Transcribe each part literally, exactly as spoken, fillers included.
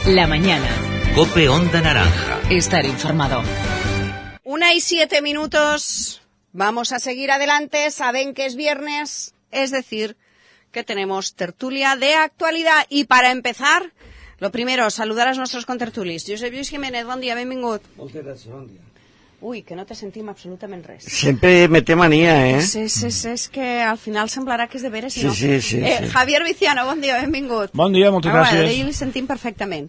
La mañana. COPE Onda Naranja. Estar informado. Una y siete minutos. Vamos a seguir adelante. Saben que es viernes, es decir, que tenemos tertulia de actualidad. Y para empezar, lo primero, saludar a nuestros contertulis. Josep Lluís Jiménez, bon dia, benvingut. Moltes gràcies, bon dia. Ui, que no te sentim absolutament res. Sempre me té mania, eh? Sí, sí, sí, és que al final semblarà que és de veres, sí, no? Sí, sí, eh, sí. Javier Viciano, bon dia, benvingut. Bon dia, moltes ah, gràcies. Bueno, li sentim perfectament.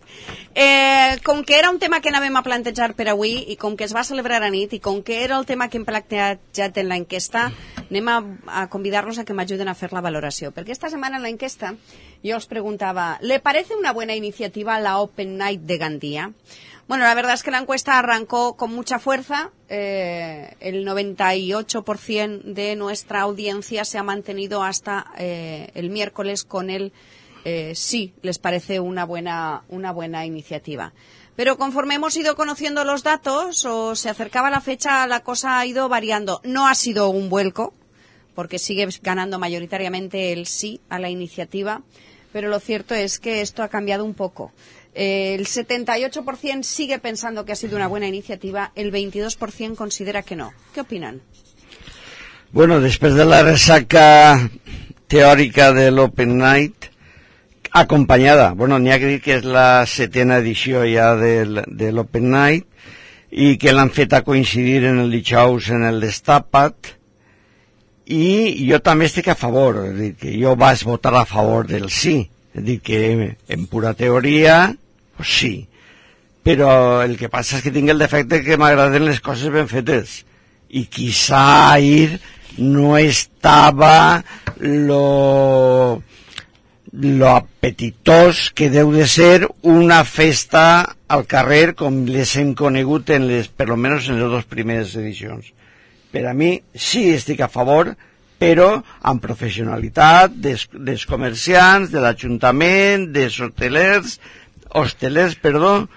Eh, com que era un tema que anàvem a plantejar per avui i com que es va celebrar a nit i com que era el tema que hem plantejat en la enquesta, anem a, a convidar-los a que m'ajuden a fer la valoració. Perquè esta setmana en la enquesta jo els preguntava, ¿le parece una buena iniciativa la Open Night de Gandía? Bueno, la verdad es que la encuesta arrancó con mucha fuerza. Eh, el noventa y ocho por ciento de nuestra audiencia se ha mantenido hasta eh, el miércoles con el eh, sí, les parece una buena, una buena iniciativa. Pero conforme hemos ido conociendo los datos o se acercaba la fecha, la cosa ha ido variando. No ha sido un vuelco, porque sigue ganando mayoritariamente el sí a la iniciativa, pero lo cierto es que esto ha cambiado un poco. El setenta y ocho por ciento sigue pensando que ha sido una buena iniciativa, el veintidós por ciento considera que no. ¿Qué opinan? Bueno, después de la resaca teòrica de l'Open Night, acompanyada, bueno, n'hi ha que dir que és la setena edició ja del, de l'Open Night i que l'han fet a coincidir en el dijous en el Destapat, i jo també estic a favor, és dir, que jo vaig votar a favor del sí. És dir, que en pura teoria, pues sí. Però el que passa és que tinc el defecte que m'agraden les coses ben fetes. I quizá ahir no estava lo, lo apetitós que deu de ser una festa al carrer com les hem conegut en les, per lo menos en les dues primeres edicions. Per a mi sí estic a favor, però amb professionalitat dels, dels comerciants, de l'Ajuntament, dels hostelers, hostelers, perdó,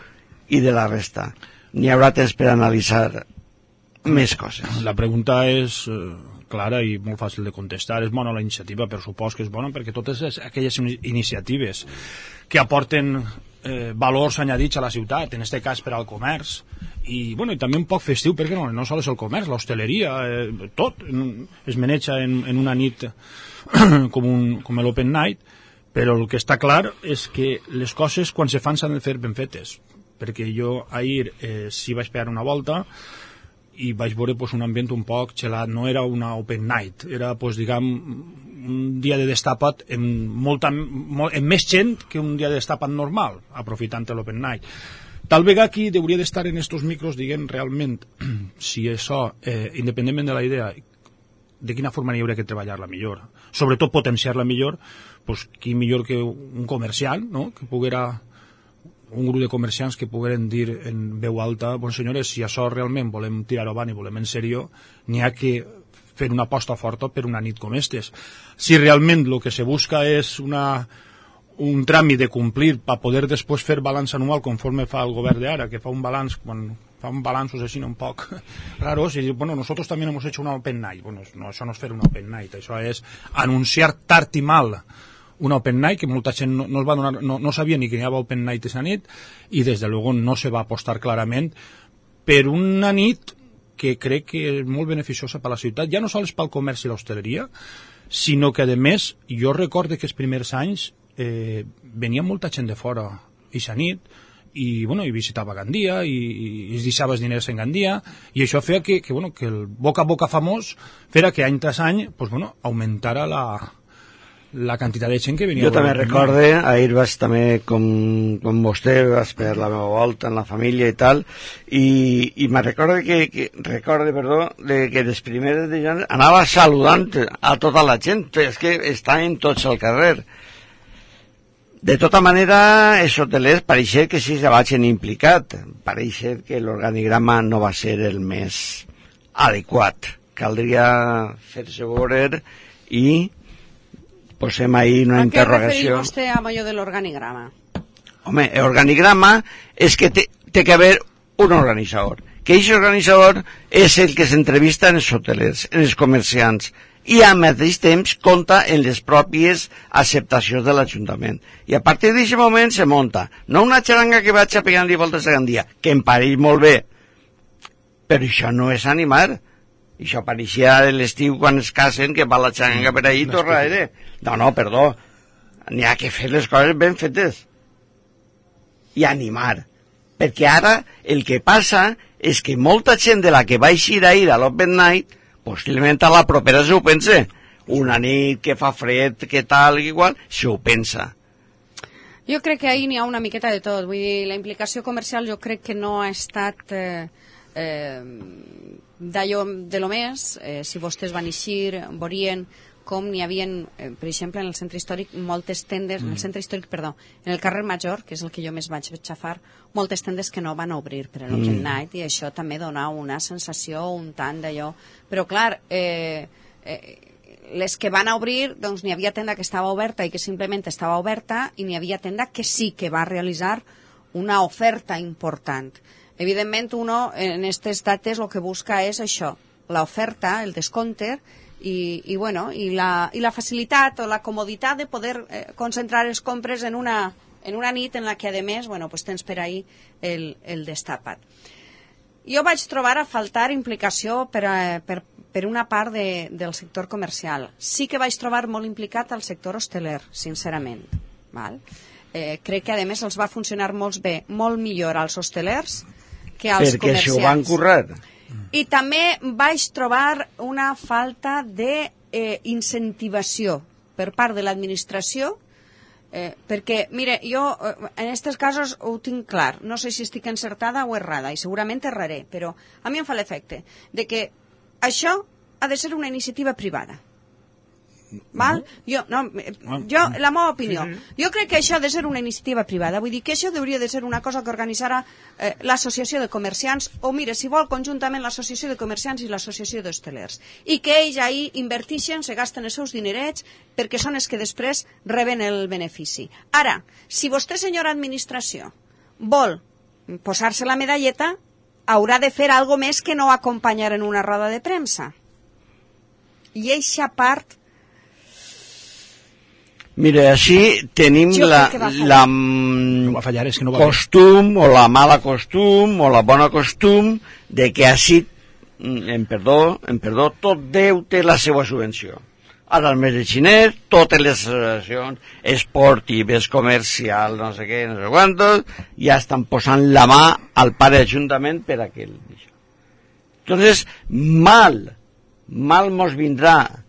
i de la resta. N'hi haurà temps per analitzar més coses. La pregunta és eh, clara i molt fàcil de contestar. És bona la iniciativa, per supost que és bona, perquè totes aquelles iniciatives que aporten eh, valors añadits a la ciutat, en aquest cas per al comerç, i, bueno, i també un poc festiu, perquè no, no sols el comerç, l'hostaleria, eh, tot es maneja en, en una nit com, un, com l'Open Night, però el que està clar és que les coses quan se fan s'han de fer ben fetes, perquè jo ahir eh, sí vaig pegar una volta i vaig veure pues, un ambient un poc gelat, no era una Open Night, era, pues, diguem, un dia de destapat amb, molta, molt, amb més gent que un dia de destapat normal, aprofitant l'Open Night. Tal vegada aquí hauria d'estar en estos micros dient realment si això, eh, independentment de la idea, de quina forma n'hi hauria que treballar-la millor, sobretot potenciar-la millor, pues, qui millor que un comerciant, no? Que poguera, un grup de comerciants que pogueren dir en veu alta, bon senyores, si això realment volem tirar-ho avant i volem en sèrio, n'hi ha que fer una aposta forta per una nit com estes. Si realment el que se busca és una un tràmit de complir per poder després fer balanç anual conforme fa el govern d'ara, que fa un balanç quan fa un balanços així un poc raros, i diu, bueno, nosotros también hemos hecho una Open Night. Bueno, no, això no és fer una Open Night, això és anunciar tard i mal una Open Night, que molta gent no, no, es va donar, no, no sabia ni que hi havia Open Night esa nit, i des de luego no se va apostar clarament per una nit que crec que és molt beneficiosa per a la ciutat, ja no sols pel comerç i l'hostaleria, sinó que, a més, jo recordo que els primers anys Eh, venia molta gent de fora aquesta nit i, bueno, i visitava Gandia i, i es deixava els diners en Gandia, i això feia que, que, bueno, que el boca a boca famós fera que any tras any pues, bueno, augmentara la, la quantitat de gent que venia. Jo també recorde, ahir vaig també com, com vostè, vaig per la meva volta en la família i tal, i, i me recorde que, que recorde, perdó, de que les primeres de gener anava saludant a tota la gent, és que estaven tots al carrer. De tota manera, els hotelers pareix que sí se vagin implicat, pareix que l'organigrama no va ser el més adequat. Caldria fer-se veure i posem ahí una interrogació. ¿A què referir vostè amb allò de l'organigrama? Home, l'organigrama és que té, té que haver un organitzador, que aquest organitzador és el que s'entrevista en els hotelers, en els comerciants, i al mateix temps compta en les pròpies acceptacions de l'Ajuntament. I a partir d'aquest moment se munta, no una xaranga que vaig a pegar-li voltes a Gandia, que em pareix molt bé, però això no és animar. Això apareixia a l'estiu quan es casen, que va la xaranga per ahí i torna a aire. No, no, perdó, n'hi ha que fer les coses ben fetes i animar, perquè ara el que passa és que molta gent de la que va eixir ahir a l'Open Night possiblement a la propera se ho pense. Una nit que fa fred, que tal, que igual, se ho pensa. Jo crec que ahir n'hi ha una miqueta de tot. Vull dir, la implicació comercial jo crec que no ha estat eh, eh, d'allò de lo més. Eh, si vostès van eixir, veurien com n'hi havia, eh, per exemple, en el centre històric, moltes tendes, mm. en el centre històric, perdó, en el carrer Major, que és el que jo més vaig xafar, moltes tendes que no van obrir per a l'Open mm. Night, i això també dona una sensació un tant d'allò. Però, clar, eh, eh, les que van a obrir, doncs n'hi havia tenda que estava oberta i que simplement estava oberta, i n'hi havia tenda que sí que va realitzar una oferta important. Evidentment, uno, en aquestes dates, el que busca és això, l'oferta, el descompte, I, i, bueno, i, la, i la facilitat o la comoditat de poder eh, concentrar les compres en una, en una nit en la que, a més, bueno, pues tens per ahí el, el destapat. Jo vaig trobar a faltar implicació per, a, per, per una part de, del sector comercial. Sí que vaig trobar molt implicat al sector hosteler, sincerament. Val? Eh, crec que, a més, els va funcionar molt bé, molt millor als hostelers que als Perquè comerciants. Perquè s'ho van currar. I també vaig trobar una falta d'incentivació per part de l'administració, eh, perquè, mire, jo en aquests casos ho tinc clar, no sé si estic encertada o errada, i segurament erraré, però a mi em fa l'efecte de que això ha de ser una iniciativa privada. Val? Jo, no, jo, la meva opinió, jo crec que això ha de ser una iniciativa privada, vull dir que això hauria de ser una cosa que organitzara eh, l'associació de comerciants, o mire, si vol, conjuntament l'associació de comerciants i l'associació d'hostelers, i que ells ahir invertixen, se gasten els seus dinerets, perquè són els que després reben el benefici. Ara, si vostè, senyora administració, vol posar-se la medalleta, haurà de fer algo més que no acompanyar en una roda de premsa. I eixa part... Mira, així tenim Jo la, crec que va la No va fallar, és que no va costum o la mala costum o la bona costum de que així, en perdó, en perdó, tot Déu té la seva subvenció. Ara el mes de xinès, totes les associacions esportives, comercials, no sé què, no sé quantos, ja estan posant la mà al pare d'Ajuntament per aquell. Entonces, mal, mal mos vindrà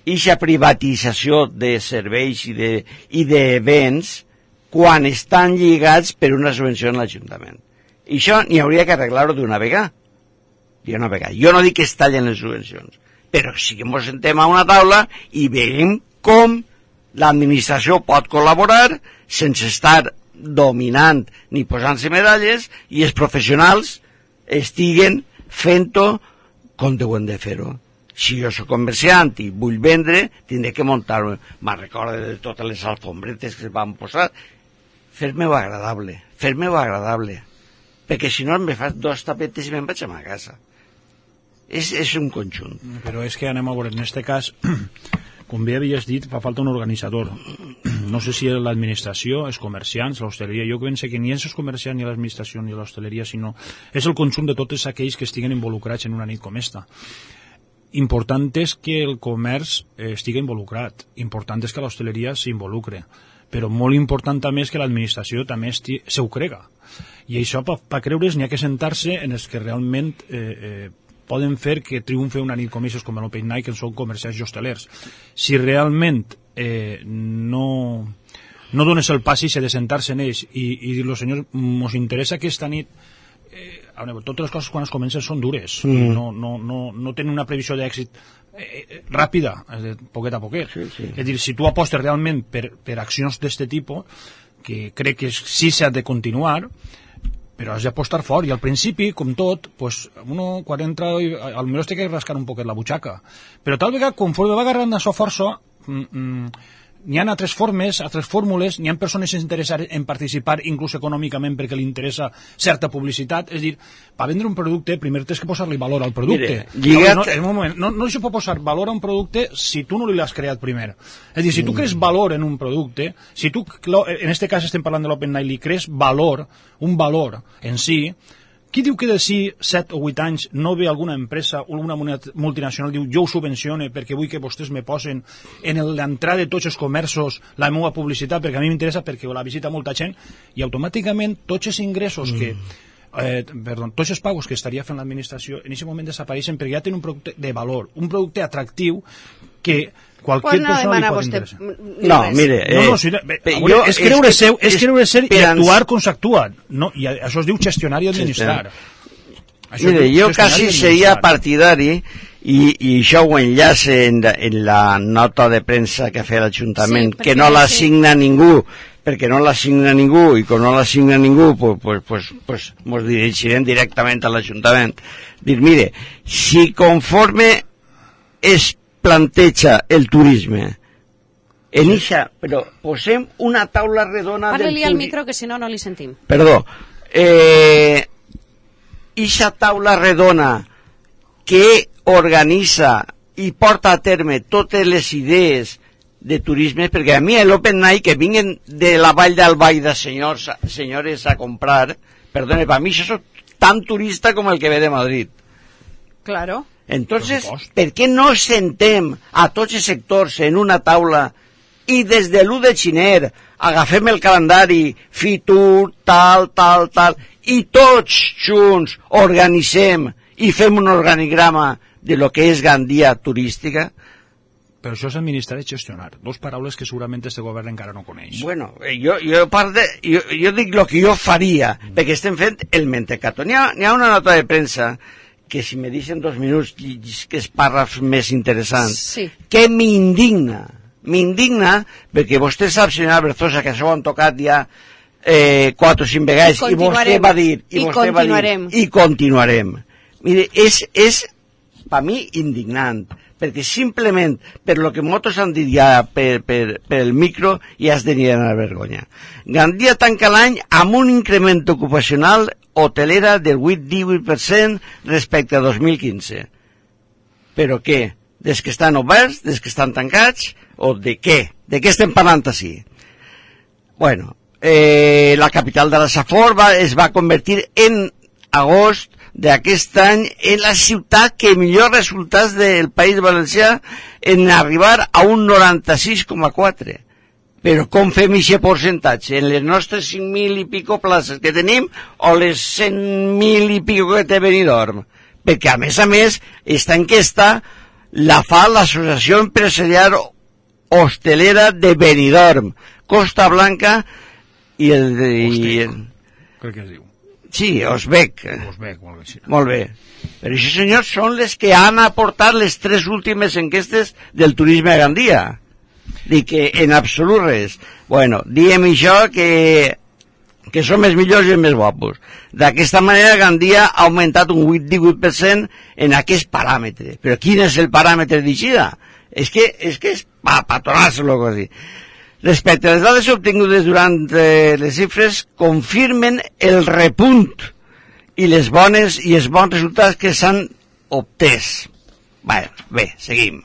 ixa privatització de serveis i de, i de béns quan estan lligats per una subvenció en l'Ajuntament. I això n'hi hauria que arreglar-ho d'una vegada. D'una vegada. Jo no dic que es tallen les subvencions, però sí que ens sentem a una taula i veiem com l'administració pot col·laborar sense estar dominant ni posant-se medalles i els professionals estiguen fent-ho com deuen de fer-ho. Si jo soc comerciant i vull vendre, tindré que muntar-ho. Me'n recordo de totes les alfombretes que es van posar. Fer-me-ho agradable, fer-me-ho agradable. Perquè si no em fas dos tapetes i me'n vaig a ma casa. És, és un conjunt. Però és que anem a veure, en aquest cas, com bé havies dit, fa falta un organitzador. No sé si l'administració, els comerciants, l'hostaleria, jo penso que ni és els comerciants, ni l'administració, ni l'hostaleria, sinó és el conjunt de tots aquells que estiguen involucrats en una nit com esta. Important és que el comerç eh, estigui involucrat, important és que l'hostaleria s'involucre, però molt important també és que l'administració també esti... se ho crega. I això, per pa creure's, n'hi ha que sentar-se en els que realment eh, eh, poden fer que triomfe una nit com aquests, com l'Open Night, que són comerciants i hostelers. Si realment eh, no, no dones el pas i s'ha de sentar-se en ells i, i dir-los, senyors, mos interessa aquesta nit... Eh, totes les coses quan es comencen són dures, mm. no, no, no, no tenen una previsió d'èxit eh, ràpida, de poquet a poquet. Sí, sí. És a dir, si tu apostes realment per, per accions d'aquest tipus, que crec que sí s'ha de continuar, però has d'apostar fort, i al principi, com tot, pues, uno, quan entra, potser té que rascar un poquet la butxaca, però tal vegada, conforme va agarrant això força, mm, mm, n'hi ha altres formes, altres fórmules, n'hi ha persones interessades en participar inclús econòmicament perquè li interessa certa publicitat, és dir, per vendre un producte primer tens que posar-li valor al producte. Mire, lligat... no, en un moment, no, no se pot posar valor a un producte si tu no li l'has creat primer. És dir, si tu crees valor en un producte, si tu, en este cas estem parlant de l'Open Night, li crees valor, un valor en si, qui diu que de si set o vuit anys no ve alguna empresa o alguna multinacional diu jo ho subvencione perquè vull que vostès me posen en l'entrada de tots els comerços la meva publicitat perquè a mi m'interessa perquè la visita molta gent i automàticament tots els ingressos que Eh, perdó, tots els pagos que estaria fent l'administració en aquest moment desapareixen perquè ja tenen un producte de valor, un producte atractiu que qualsevol pues no persona li pot vostè... interessar. No, mire... Eh, no, no, si, bé, veure, és creure ser, és creure ser i actuar com s'actua. No, i això es diu gestionar i administrar. Sí, mire, jo quasi seria partidari i, i això ho enllaça en, en la nota de premsa que ha fet l'Ajuntament, sí, que no la signa sí. ningú, perquè no la signa ningú i quan no la signa ningú pues, pues, pues, pues mos dirigirem directament a l'Ajuntament. Dir, mire, si conforme es planteja el turisme en ixa, però posem una taula redona... Parle-li al micro que si no no li sentim. Perdó. Eh, ixa taula redona que organitza i porta a terme totes les idees de turisme, perquè a mi l'Open Night que vinguen de la Vall d'Albaida senyors, senyores a comprar, perdone, per mi això és tan turista com el que ve de Madrid. Claro. Entonces, per què no sentem a tots els sectors en una taula i des de l'u de gener agafem el calendari, Fitur, tal, tal, tal, i tots junts organitzem i fem un organigrama de lo que és Gandia turística? Però això és administrar i gestionar, dos paraules que segurament este govern encara no coneix. Bueno, jo, jo, parle, jo, jo dic el que jo faria, mm. perquè estem fent el mentecato. N'hi ha, n'hi ha una nota de premsa que si me deixen dos minuts que és pàrrafs més interessants, sí. que m'indigna, m'indigna perquè vostè sap, senyora Berzosa, que això ho han tocat ja eh, quatre o cinc vegades i, i vostè va dir i, i vostè continuarem. Va dir, i continuarem. Mire, és, és per mi indignant, perquè simplement per lo que molts han dit ja per, per, per el micro ja es tenien a la vergonya. Gandia tanca l'any amb un increment ocupacional hotelera del vuit a divuit per cent respecte a dos mil quinze. Però què? Des que estan oberts, des que estan tancats, o de què? De què estem parlant així? Bueno, eh, la capital de la Safor va, es va convertir en agost d'aquest any en la ciutat que millor resultats del País Valencià en arribar a un noranta-sis coma quatre. Però com fem aquest percentatge? En les nostres cinc mil i pico places que tenim o les cent mil i pico que té Benidorm? Perquè a més a més, esta enquesta la fa l'Associació Empresarial Hostelera de Benidorm, Costa Blanca i el... I el... Crec que es diu. Sí, Osbec. Osbec, molt bé. Sí. Molt bé. Però això, senyors, són les que han aportat les tres últimes enquestes del turisme a Gandia. Dic que en absolut res. Bueno, diem això que, que som els millors i els més guapos. D'aquesta manera, Gandia ha augmentat un vuit a divuit per cent en aquest paràmetre. Però quin és el paràmetre d'eixida? És que és, que és pa, patonar-se-lo, così. Respecte a les dades obtingudes durant eh, les xifres, confirmen el repunt i les bones i els bons resultats que s'han obtès. Bé, bé, seguim.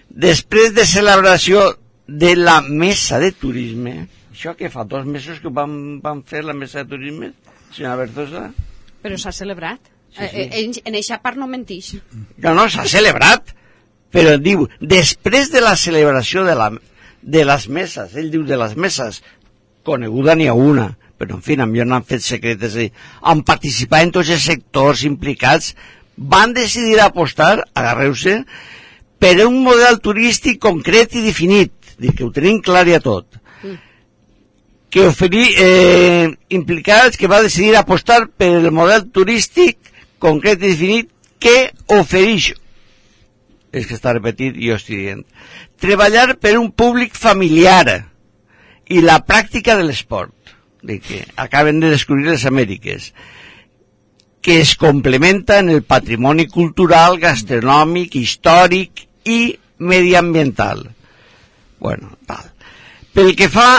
Després de celebració de la mesa de turisme, això que fa dos mesos que vam, vam fer la mesa de turisme, senyora Berzosa? Però s'ha celebrat. Sí, sí. En, en eixa part no mentix. No, no, s'ha celebrat, però diu, després de la celebració de la de les meses, ell diu de les meses, coneguda n'hi ha una, però en fi, millor no han fet secretes, han participat en tots els sectors implicats, van decidir apostar, agarreu-se, per un model turístic concret i definit, dic que ho tenim clar ja tot, mm. que oferir, eh, implicats, que va decidir apostar per el model turístic concret i definit que ofereix, és que està repetit i jo estic dient, treballar per un públic familiar i la pràctica de l'esport, que acaben de descobrir les Amèriques, que es complementa en el patrimoni cultural, gastronòmic, històric i mediambiental. Bueno, tal. Pel que fa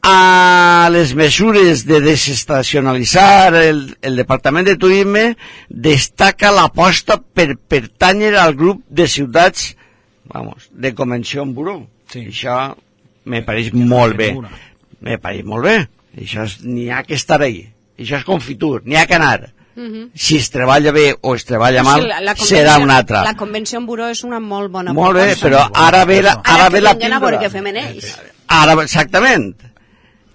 a les mesures de desestacionalitzar el, el Departament de Turisme, destaca l'aposta per pertànyer al grup de ciutats, vamos, de Convenció Buró. Sí. Això me pareix molt bé. Me pareix molt bé. Això n'hi ha que estar ahí. Això és confitur, n'hi ha que anar. Uh-huh. Si es treballa bé o es treballa mal, sí, serà una altra. La Convenció Buró és una molt bona molt proposta. Bé, però ara ve la, ara ara ve la píldora. Que fem en ells. Ara, exactament.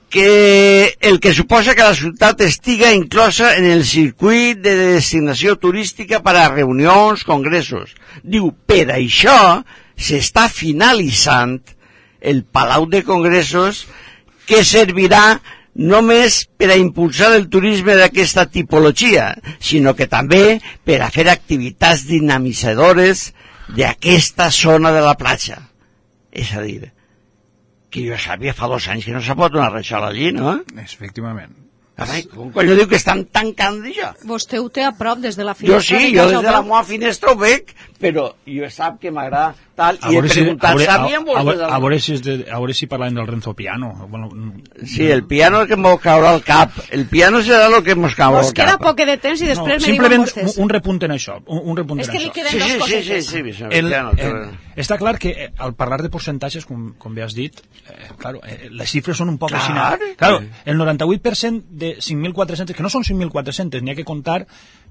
Que el que suposa que la ciutat estiga inclosa en el circuit de destinació turística per a reunions, congressos. Diu, per això s'està finalitzant el Palau de Congressos, que servirà només per a impulsar el turisme d'aquesta tipologia, sinó que també per a fer activitats dinamitzadores d'aquesta zona de la platja. És a dir, que jo sabia fa dos anys que no se pot donar reixol allí, no? Efectivament. Carai, com quan jo diu que estan tancant d'això? Vostè ho té a prop des de la Jo finestra? sí, de jo casa des de o la prop? meva finestra ho veig, però jo sap que m'agrada tal, A i he veure si- preguntat, a veure- sabien a- a vostès? veure- a alguna- veure si és de- a veure si parlem del Renzo Piano. Bueno, Sí, el piano que m'ho caurà al cap. El piano serà el que mos caurà Us al queda cap. poc de temps i no, després me diuen simplement vostès. un, un repunt en això. Un, un repunt És en que li això. queden Sí, dos sí, sí, cosetes. sí, sí, sí, el El, piano, eh, que- està clar que eh, al parlar de percentatges, com, com bé has dit, eh, claro, eh, les xifres són un poc Clar. així. Claro, el noranta-vuit per cent de cinc mil quatre-cents, que no són cinc mil quatre-cents, n'hi ha que comptar,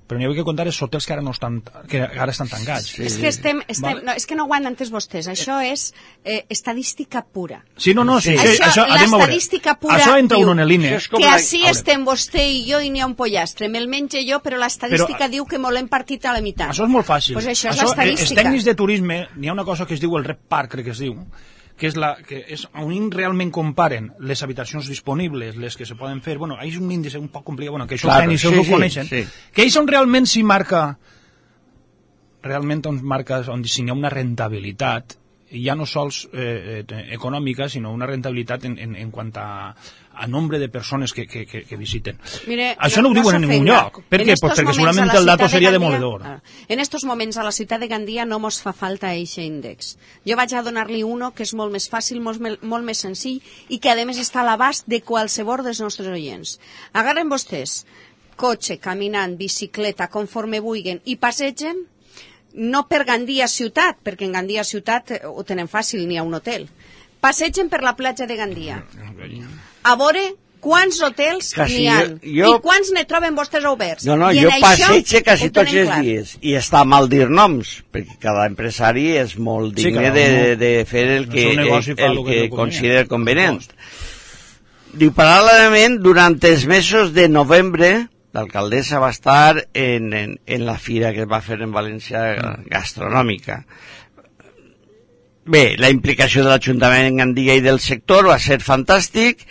però n'hi ha que comptar els hotels que ara no estan, que ara estan tancats. Sí. És que estem, estem, Vale. no, és que no ho han entès vostès. Això és eh, estadística pura. Sí, no, no, sí, Sí. sí, Això, això, anem a veure. l'estadística pura Això entra diu uno en línia. Això és com que la- així a veure. estem vostè i jo i n'hi ha un pollastre. Me'l menja jo, però l'estadística Però- diu que me l'hem partit a la meitat. Això és molt fàcil. Pues això és eh, els l'estadística. tècnics de turisme, n'hi ha una cosa que es diu el Rep Park, crec que es diu, que és, la, que és on realment comparen les habitacions disponibles, les que se poden fer, bueno, és un índice un poc complicat, bueno, que això Claro, els tècnics sí, ho sí, coneixen, sí. que ells on realment s'hi marca, realment on marca, on si hi ha una rentabilitat, ja no sols eh, eh, econòmica, sinó una rentabilitat en, en, en quant a, a nombre de persones que, que, que, que visiten. Mire, Això no ho diuen en ningú lloc. Per En què? estos Pues perquè moments segurament a la el dato ciutat de seria Gandia- demoledor. Ah, en estos moments a la ciutat de Gandia no mos fa falta eixe índex. Jo vaig a donar-li uno que és molt més fàcil, molt, me- molt més senzill i que a més està a l'abast de qualsevol dels nostres oients. Agarren vostès cotxe, caminant, bicicleta, conforme vulguin i passegen, no per Gandia ciutat, perquè en Gandia ciutat eh, ho tenen fàcil, n'hi ha un hotel. Passegen per la platja de Gandia. A veure quants hotels Quasi n'hi ha jo- jo- i quants ne troben vostès oberts. No, no, I jo en això passege quasi ho tots tenen els clar. dies i està mal dir noms, perquè cada empresari és molt Sí, digne cada de, uno. de fer el El que, seu negoci el, fa el lo que que li convé. considera convenient. Diu, paral·lelament, durant els mesos de novembre, l'alcaldessa va estar en, en, en la fira que es va fer en València gastronòmica. Bé, la implicació de l'Ajuntament en Gandia i del sector va ser fantàstic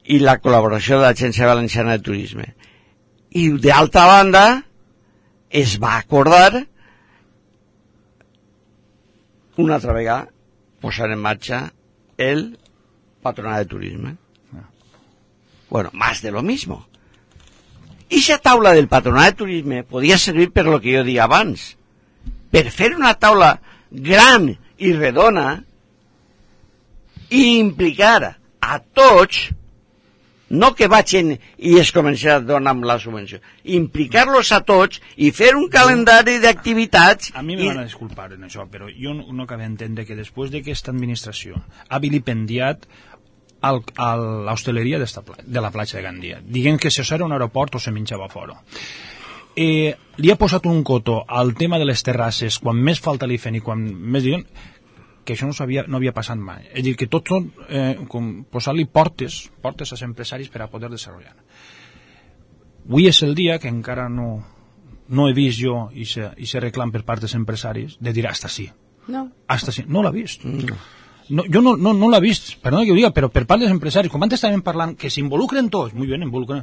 i la col·laboració de l'Agència Valenciana de Turisme. I d'altra banda es va acordar una altra vegada posar en marxa el Patronat de Turisme. Bueno, más de lo mismo. Esa taula del Patronat de Turisme podia servir per lo que jo dic abans, per fer una taula gran i redona i implicar a tots, no que vagin i es comencin a donar amb la subvenció, implicar-los a tots i fer un calendari d'activitats. A mi me van a disculpar en això, però jo no, no acabo d'entendre que després de que aquesta administració ha vilipendiat al, a l'hostaleria de la platja de Gandia, dient que si això era un aeroport o se menjava fora. Eh, li ha posat un cotó al tema de les terrasses quan més falta li feien i quan més diuen que això no, havia, no havia passat mai. És a dir, que tot són eh, com posar-li portes, portes als empresaris per a poder desenvolupar. Avui és el dia que encara no, no he vist jo i se, i se reclam per part dels empresaris de dir hasta sí. No. Hasta sí. No l'ha vist. No, jo no, no, no l'ha vist, perdona que ho diga, però per part dels empresaris, com antes estaven parlant que s'involucren tots, muy bien, involucren.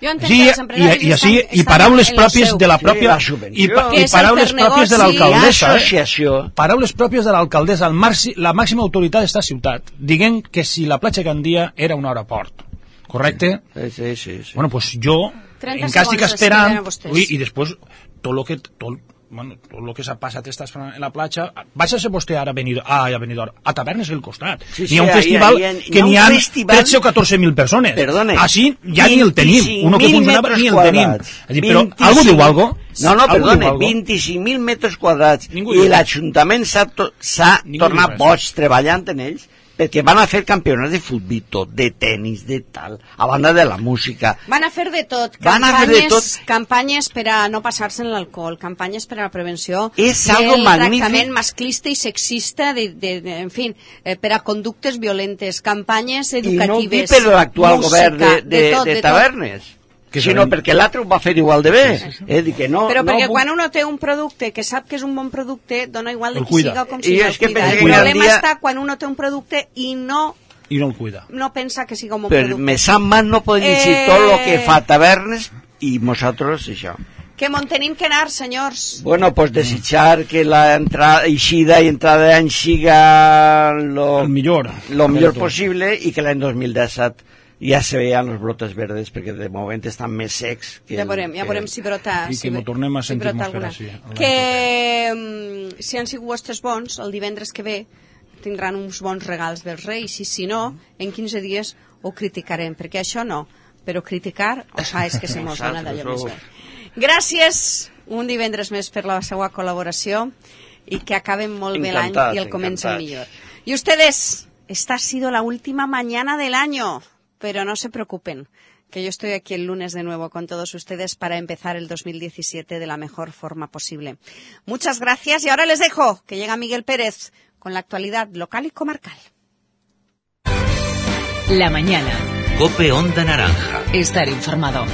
Jo entenc Sí, que els i, empresaris i així, estan, i paraules estan en lo pròpies seu. de la pròpia Sí, la i, pa, Que i és el paraules fer pròpies de negoci, l'alcaldessa, eh? L'associació. Paraules pròpies de l'alcaldessa, el màxim- la màxima autoritat d'esta ciutat, dient que si la platja Gandia era un aeroport, correcte? Sí, sí, sí, sí. Bueno, pues jo trenta en cas estic segons esperant esperen a vostès. ui, i després tot lo que tot, bueno, tot el que s'ha passat estàs en la platja, baixes a vostè ara a Benidorm, ah, a Benidorm, a Tavernes al costat. Sí, sí, n'hi ha un ahí, festival ahí, ahí, que n'hi ha festival... tretze o catorze mil persones. Perdone. Així ja ni el tenim. Uno que funcionava ni el tenim. És dir, però algú diu algo? No, no, perdone, vint-i-cinc mil metres quadrats. Ningú I diu. l'Ajuntament s'ha to tornat boig treballant en ells, perquè van a fer campionats de futbol, de tenis, de tal, a banda de la música. Van a fer de tot. Van a fer de tot. Campanyes per a no passar-se en l'alcohol, campanyes per a la prevenció És algo del magnífic. tractament masclista i sexista, de, de, de, en fi, eh, per a conductes violentes, campanyes educatives. I no ho dic per l'actual govern de, de, de, tot, de, de Tavernes, que sinó perquè l'altre ho va fer igual de bé. Sí, sí, sí. Eh, dir que no, però no perquè vull... quan uno té un producte que sap que és un bon producte, dona igual de El qui cuida. siga o com I siga, és el que cuida. pensé El que problema dia- està quan uno té un producte i no, I no el cuida. no pensa que siga un bon Per producte. me sap mal no poden llegir Eh. tot el que fa Tavernes i nosaltres això. Que mon tenim que anar, senyors. Bueno, pues desitjar que la entrada, eixida i entrada d'any siga lo, El millor. lo millor possible i que l'any dos mil disset ja se veien els brotes verdes perquè de moment estan més secs que Ja veurem, ja que... veurem si brota... I que si, m'ho tornem a si sentir brota atmosfera alguna. així, l'any Que mm, si han sigut vostres bons, el divendres que ve tindran uns bons regals dels Reis i si no, en quinze dies ho criticarem, perquè això no, però criticar, o sabes que se mos dona d'allò més bé. Gràcies un divendres més per la seva col·laboració y que acaben molt bé l'any y el comencen millor. Y ustedes, esta ha sido la última mañana del año, pero no se preocupen, que yo estoy aquí el lunes de nuevo con todos ustedes para empezar el dos mil diecisiete de la mejor forma posible. Muchas gracias y ahora les dejo que llega Miguel Pérez con la actualidad local y comarcal. La mañana. Cope Onda Naranja. Estar informado.